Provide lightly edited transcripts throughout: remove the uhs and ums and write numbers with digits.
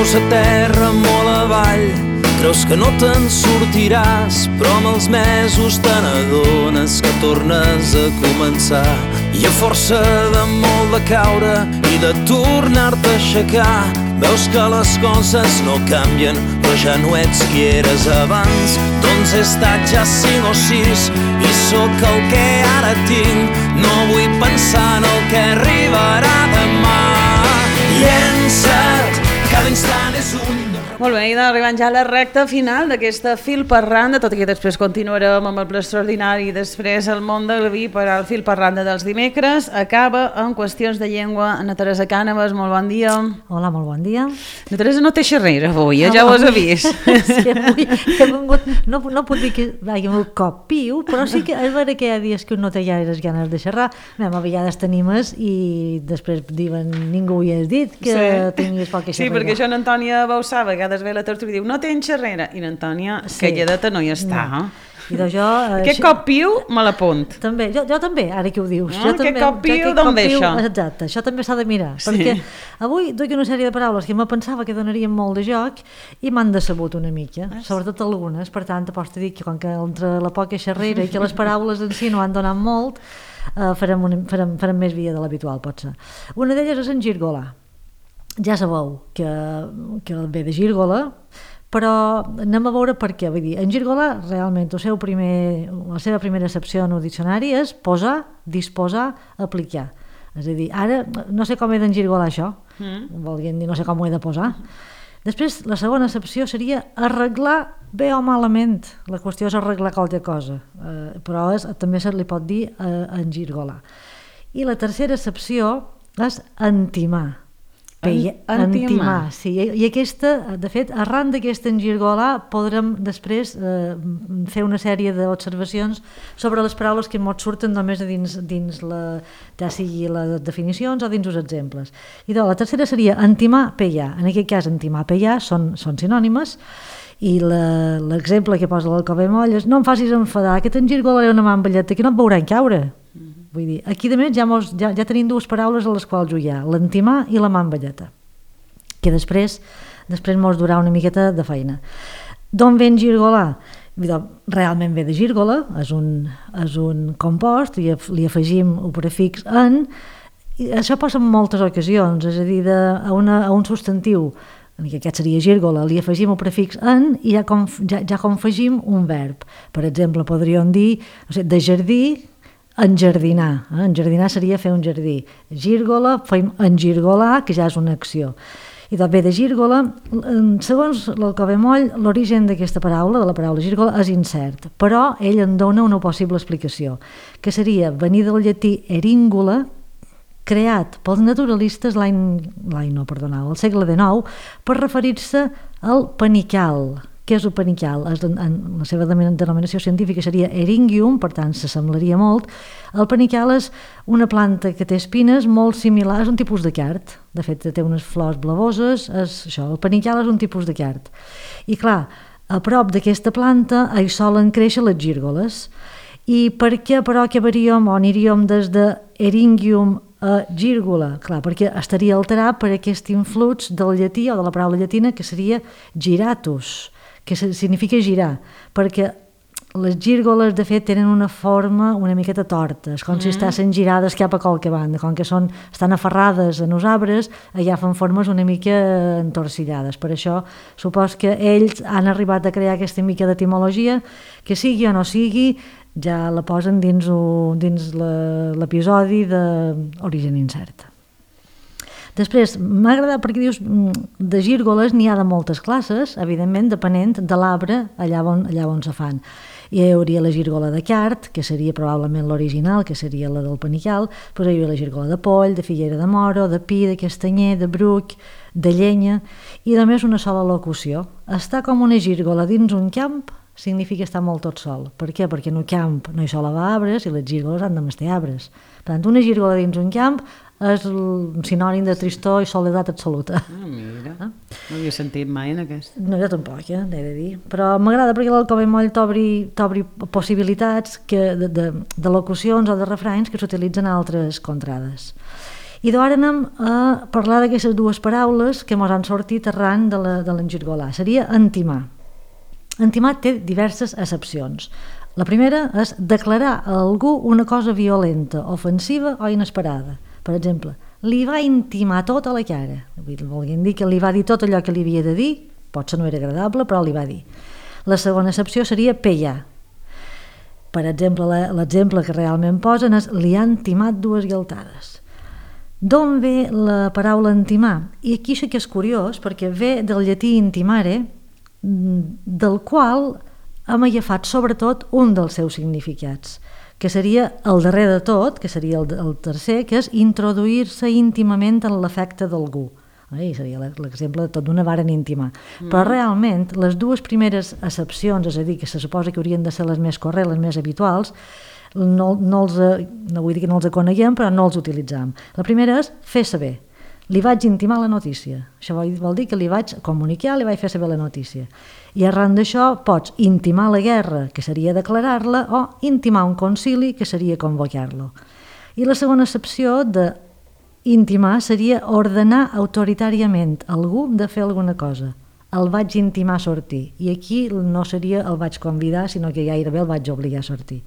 Veus a terra molt avall, creus que no te'n sortiràs, però amb els mesos te n'adones que tornes a començar. I a força de molt de caure i de tornar-te a aixecar, veus que les coses no canvien, però ja no ets qui eres abans. Doncs he estat ja 5 o 6 i sóc el que ara tinc. No vull pensar en el que arribarà demà. Llença't, cada instant és un... Molt bé, i arribant ja a la recta final d'aquesta Fil per Randa, tot i que després continuarem amb el ple extraordinari i després el món del vi per al Fil per Randa dels dimecres. Acaba amb qüestions de llengua Anna Teresa Cànovas, molt bon dia. Hola, molt bon dia. Anna Teresa no té xerrera avui, ja ho has vist. Sí, avui he vingut, no puc dir que hagi vingut cop piu, però sí que és vera que hi ha dies que no té gaires ganes de xerrar. A vegades tenim i després diuen ningú hi has dit que tinguis poca xerrera. Sí, perquè això n'Antònia Bausà a vegades ve a la tertúlia i diu no tens xerrera, i n'Antònia calladeta no hi està. No. I doncs jo, aquest cop piu me l'apunt. També, jo també, ara que ho dius. Aquest cop piu d'on ve això? Exacte, això també s'ha de mirar, perquè avui duc una sèrie de paraules que me pensava que donarien molt de joc i m'han decebut una mica, sobretot algunes, per tant pots dir que com que entre la poca xerrera i que les paraules en si no han donat molt, farem més via de l'habitual, potser. Una d'elles és engirgolar. Ja sabeu que ve de gírgola, però anem a veure per què. Vull dir, engirgolar realment la seva primera accepció en el diccionari és posar, disposar, aplicar. És a dir, ara no sé com he d'engirgolar això, volguem dir, no sé com ho he de posar. Després, la segona accepció seria arreglar bé o malament. La qüestió és arreglar qualque cosa, però també se li pot dir engirgolar. I la tercera accepció és entimar. Entimar, sí. I aquesta, de fet, arran d'aquesta engirgolar podrem després fer una sèrie d'observacions sobre les paraules que ens surten només dins ja sigui les definicions o dins els exemples. I la tercera seria entimar, pellar. En aquest cas, entimar, pellar són sinònimes, i l'exemple que posa l'Alcover Moll és no em facis enfadar, que t'engirgolaré una mamballeta que no et veuran caure. Vull dir, aquí de més ja tenim dues paraules a les quals jugar, l'entimar i la mamballeta, que després mos durà una miqueta de feina. D'on ve engirgolar? Realment ve de gírgola, és un compost, i li afegim el prefix en, i això passa en moltes ocasions, és a dir, a un substantiu, que aquest seria gírgola, li afegim el prefix en i ja confegim un verb. Per exemple, podríem dir, de jardí, enjardinar. Enjardinar seria fer un jardí. Gírgola, fem engirgolar, que ja és una acció. I també de gírgola, segons l'Alcover Moll, l'origen d'aquesta paraula, de la paraula gírgola, és incert, però ell en dona una possible explicació, que seria venir del llatí eringula, creat pels naturalistes al segle XIX, per referir-se al panical. Què és el panical? En la seva denominació científica seria Eryngium, per tant s'assemblaria molt. El panical és una planta que té espines molt similar, és un tipus de card, de fet té unes flors blavoses, el panical és un tipus de card. I clar, a prop d'aquesta planta hi solen créixer les gírgoles. I per què però acabaríem o aniríem des de Eryngium a gírgola? Clar, perquè estaria alterat per aquest influx del llatí o de la paraula llatina que seria giratus, que significa girar, perquè les gírgoles de fet tenen una forma una miqueta torta, és com si estessin girades cap a qualque banda, com que estan aferrades en els arbres, agafen formes una mica entorcillades. Per això supos que ells han arribat a crear aquesta mica d'etimologia, que sigui o no sigui, ja la posen dins l'episodi d'Origen Incert. Després, m'ha agradat perquè dius, de gírgoles n'hi ha de moltes classes, evidentment, depenent de l'arbre allà on se fan. Hi hauria la gírgola de card, que seria probablement l'original, que seria la del panical, però hi hauria la gírgola de poll, de figuera de moro, de pi, de castanyer, de bruc, de llenya, i només una sola locució. Estar com una gírgola dins un camp significa estar molt tot sol. Per què? Perquè en un camp no hi sol haver arbres i les gírgoles han de mestir arbres. Per tant, una gírgola dins un camp és un sinònim de tristor i soledat absoluta. Mira, no havia sentit mai en aquest. No, jo tampoc, he de dir. Però m'agrada perquè l'Alcover Moll t'obri possibilitats de locucions o de refranys que s'utilitzen a altres contrades. I d'ara anem a parlar d'aquestes dues paraules que ens han sortit arran de l'engirgolar. Seria entimar. Entimar té diverses accepcions. La primera és declarar a algú una cosa violenta, ofensiva o inesperada. Per exemple, li va intimar tot a la cara. Volguem dir que li va dir tot allò que li havia de dir, potser no era agradable, però li va dir. La segona accepció seria pellar. Per exemple, l'exemple que realment posen és li han timat 2 galtades. D'on ve la paraula intimar? I aquí sí que és curiós, perquè ve del llatí intimare, del qual hem agafat sobretot un dels seus significats, que seria el darrer de tot, que seria el tercer, que és introduir-se íntimament en l'afecte d'algú. Seria l'exemple de tot d'una varen intimar. Però realment les 2 primeres accepcions, és a dir, que se suposa que haurien de ser les més corrents, les més habituals, no vull dir que no els coneguem, però no els utilitzam. La primera és fer saber. Li vaig intimar la notícia. Això vol dir que li vaig comunicar, li vaig fer saber la notícia. I arran d'això pots intimar la guerra, que seria declarar-la, o intimar un concili, que seria convocar-lo. I la segona accepció de intimar seria ordenar autoritàriament algú de fer alguna cosa. El vaig intimar a sortir. I aquí no seria el vaig convidar, sinó que gairebé el vaig obligar a sortir.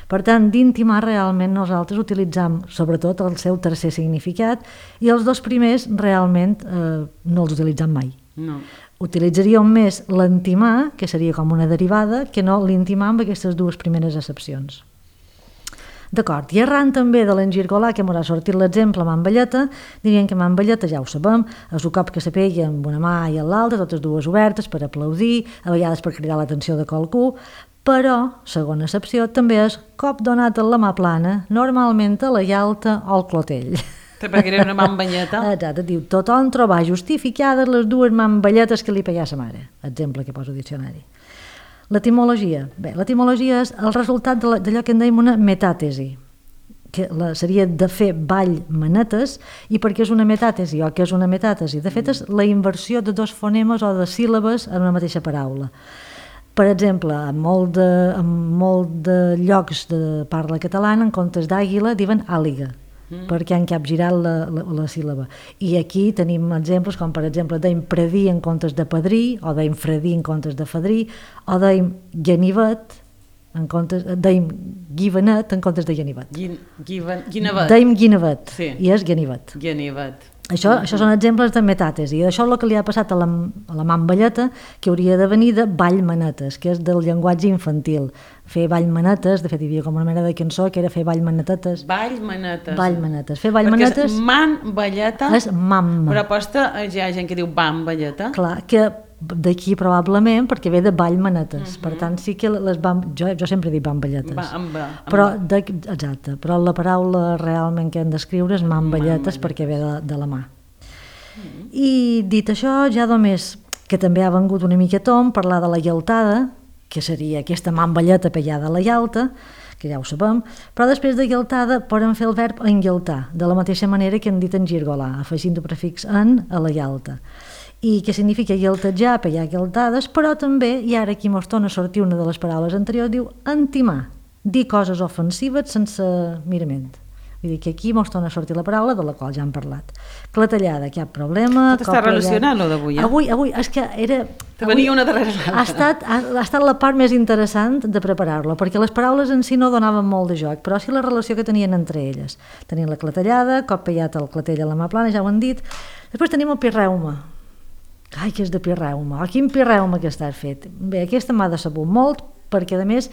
Per tant, d'intimar realment nosaltres utilitzam sobretot el seu tercer significat i els 2 primers realment no els utilitzam mai. No. Utilitzaríem més l'entimar, que seria com una derivada, que no l'intimar amb aquestes 2 primeres accepcions. D'acord, i arran també de l'engirgolar, que m'haurà sortit l'exemple amb ambelleta, dirien que amb ambelleta ja ho sabem, és un cop que se pega amb una mà i amb l'altra, totes 2 obertes per aplaudir, a vegades per cridar l'atenció de qualcú, però, segona accepció, també és cop donat a la mà plana, normalment a la llalta o al clotell. Perquè era una mambelleta. Exacte, diu, tothom trobar justificades les 2 mambelletes que li pegà sa mare. Exemple que poso al diccionari. L'etimologia. Bé, l'etimologia és el resultat d'allò que en dèiem una metàtesi, que seria de fer ball manetes, i perquè és una metàtesi o que és una metàtesi? De fet, és la inversió de 2 fonemes o de síl·labes en una mateixa paraula. Per exemple, en molt de llocs de parla catalana, en comptes d'àguila, diuen àliga, perquè han capgirat la síl·laba. I aquí tenim exemples com, per exemple, deim predir en comptes de padrí, o deim fredir en comptes de fadrí, o deim ganivet, deim guivenet en comptes de ganivet. Guinevet. Deim guinevet, sí. I és ganivet. Ganivet. Això són exemples de metàtesi, i això és el que li ha passat a la mambelleta, que hauria de venir de ball manetes, que és del llenguatge infantil. Fer ball manetes, de fet hi havia com una mena de cançó que era fer ball manetetes. Ball manetes. Ball manetes. Fer ball manetes... Perquè és man-balleta, és mamma. però aposta hi ha gent que diu bam-balleta. Clar, que d'aquí probablement perquè ve de ball manetes. Per tant, sí que jo sempre dic bamballetes. Però, exacte, però la paraula realment que hem d'escriure és mamballetes perquè ve de la mà. I dit això, ja només que també ha vengut una mica tom parlar de la llaltada, que seria aquesta mamballeta pegada a la llalta, que ja ho sabem, però després de llaltada podem fer el verb engualtar, de la mateixa manera que hem dit engirgolar, afegint el prefix en a la llalta. I que significa llaltejar, pegar llaltades, però també, i ara aquí mos torna a sortir una de les paraules anteriors, diu entimar, dir coses ofensives sense mirament. Vull dir que aquí mos torna a sortir la paraula de la qual ja hem parlat. Clatellada, cap problema. Tot està relacionat, lo d'avui, eh? Avui, és que era... Te venia una darrere l'altra. Ha estat la part més interessant de preparar-lo, perquè les paraules en si no donaven molt de joc, però sí la relació que tenien entre elles. Tenien la clatellada, cop pegat el clatell a la mà plana, ja ho han dit. Després tenim el pirreuma. Ai, que és de pirreuma. Oh, quin pirreuma que estàs fet. Bé, aquesta m'ha decebut molt, perquè a més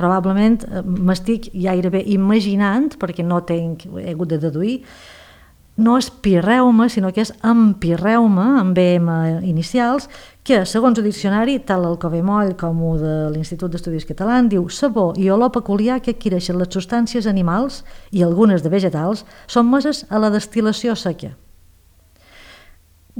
probablement m'estic gairebé imaginant, perquè no he hagut de deduir, no és pirreuma, sinó que és empirreuma, amb BM inicials, que, segons el diccionari, tant l'Alcover Moll com el de l'Institut d'Estudis Catalans, diu sabor i olor peculiar que adquireixen les substàncies animals i algunes de vegetals sotmeses a la destil·lació seca.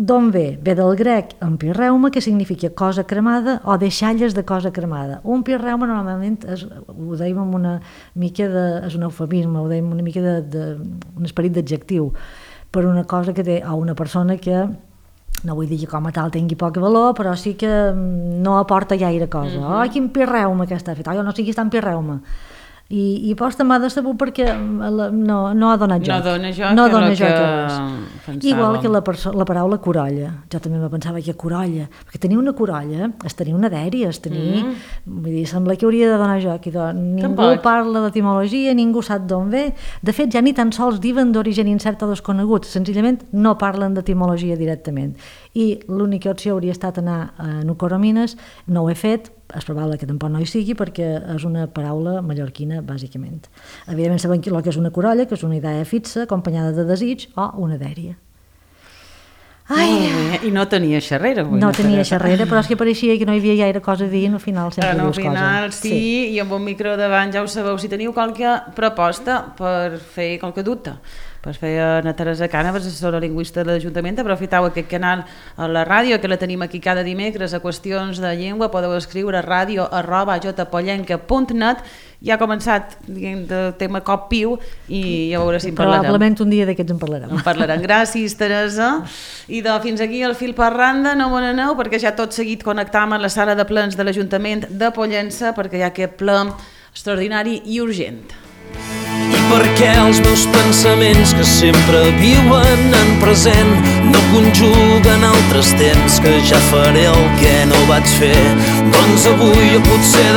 D'on ve? Ve del grec empirreuma, que significa cosa cremada o deixalles de cosa cremada. Un pirreuma normalment ho dèiem amb una mica de... és un eufemisme, ho dèiem una mica un esperit d'adjectiu per una cosa que té, o una persona que, no vull dir que com a tal tingui poc valor, però sí que no aporta gaire cosa. Oh, quin pirreuma que està fet. Oh, jo no sé qui està en pirreuma. I posta m'ha decebut perquè no ha donat joc. No dona joc, Igual que la paraula corolla. Jo també me pensava que corolla, perquè tenir una corolla és tenir una dèria, vull dir, sembla que hauria de donar joc, i ningú parla d'etimologia, ningú sap d'on ve. De fet, ja ni tan sols diuen d'origen incert o desconegut, senzillament no parlen d'etimologia directament. I l'única opció hauria estat anar a Nucoromines, no ho he fet, és probable que tampoc no hi sigui perquè és una paraula mallorquina, bàsicament. Evidentment sabem el que és una corolla, que és una idea fixa, acompanyada de desig, o una dèria. I no tenia xerrera. No tenia xerrera, però és que pareixia que no hi havia gaire cosa a dir, i al final sempre dius cosa. Al final sí, i amb un micro davant ja ho sabeu. Si teniu qualque proposta per fer qualque dubte, per fer a Teresa Cànovas, assessora lingüista de l'Ajuntament, aprofiteu aquest canal a la ràdio, que la tenim aquí cada dimecres a qüestions de llengua. Podeu escriure radio@jpollenca.net. Ja ha començat el tema cop piu i ja veuré si en parlarem. Probablement un dia d'aquests en parlarem. En parlarem. Gràcies, Teresa. I fins aquí el fil per randa. No me n'aneu, perquè ja tot seguit connectam a la sala de plens de l'Ajuntament de Pollença, perquè hi ha aquest ple extraordinari i urgent. I perquè els meus pensaments, que sempre viuen en present, no conjuguen altres temps, que ja faré el que no vaig fer. Doncs avui potser